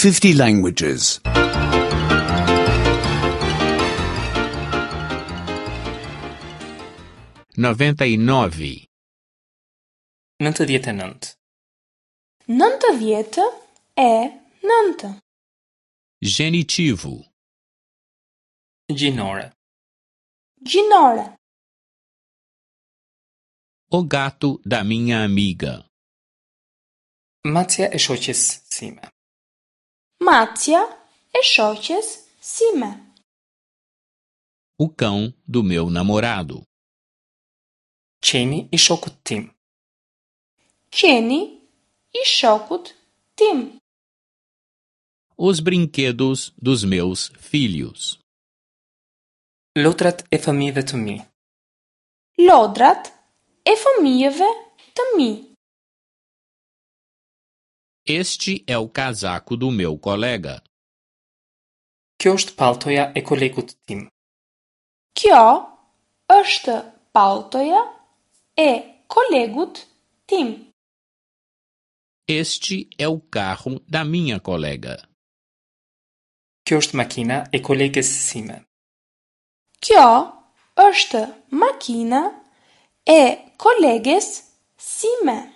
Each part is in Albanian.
50 languages. 99. 99. 99. Genitivo. Gjinore. Gjinore. O gato da minha amiga. Macja e shoqes sime. Macja e shoqes sime. O cão do meu namorado. Qeni i shokut tim. Qeni i shokut tim. Os brinquedos dos meus filhos. Lodrat e fëmijëve të mi. Lodrat e fëmijëve të mi. Este é o casaco do meu colega. Kjo është palltoja e kolegut tim. Kjo është palltoja e kolegut tim. Este é o carro da minha colega. Kjo është makina e koleges sime. Kjo është makina e koleges sime.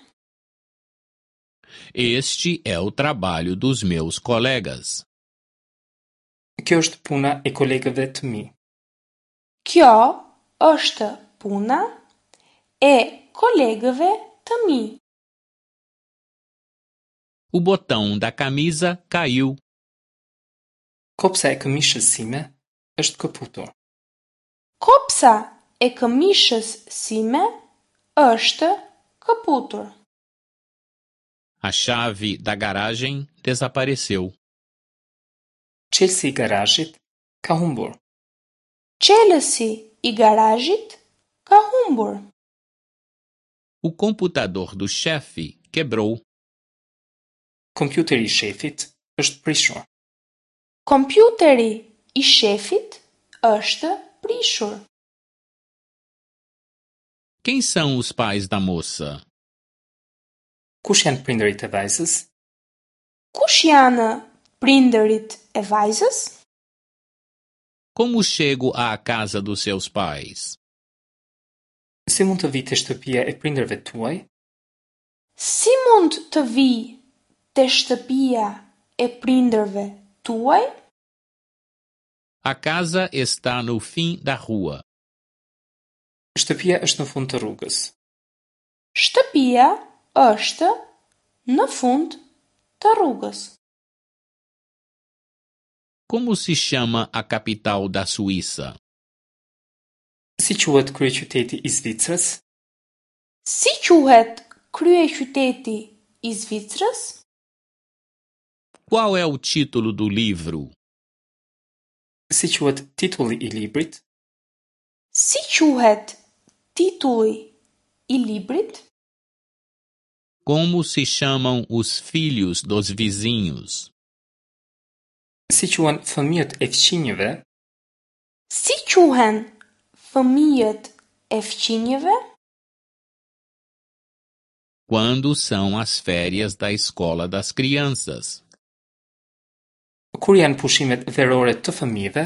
Este é o trabalho dos meus colegas. Kjo është puna e kolegëve të mi. Kjo është puna e kolegëve të mi. O botão da camisa caiu. Kopsa e këmishës sime është këputur. Kopsa e këmishës sime është këputur. A chave da garagem desapareceu. Çelësi i garazhit ka humbur. Çelësi i garazhit ka humbur. O computador do chefe quebrou. Kompjuteri i shefit është prishur. Kompjuteri i shefit është prishur. Quem são os pais da moça? Kush janë prindërit e vajzës? Kush janë prindërit e vajzës? Como chego à casa dos seus pais? Si mund të vij te shtëpia e prindërve tuaj? Si mund të vij te shtëpia e prindërve tuaj? A casa está no fim da rua. Shtëpia është në fund të rrugës. Shtëpia është në fund të rrugës. Como se chama a capital da Suíça? Si quhet kryeqyteti i Zvicrës? Si quhet kryeqyteti i Zvicrës? Qual é o título do livro? Si quhet titulli i librit? Si quhet titulli i librit? Como se chamam os filhos dos vizinhos? Si quhen fëmijët e fqinjëve? Si quhen fëmijët e fqinjëve? Quando são as férias da escola das crianças? Kur janë pushimet verore të fëmijëve?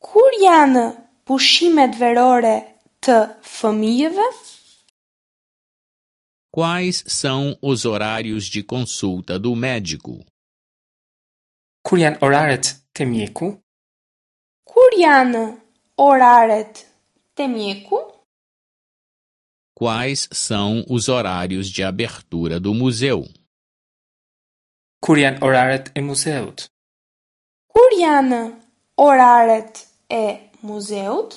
Kur janë pushimet verore të fëmijëve? Quais são os horários de consulta do médico? Kur janë oraret te mjeku? Kur janë oraret te mjeku? Quais são os horários de abertura do museu? Kur janë oraret e muzeut? Kur janë oraret e muzeut?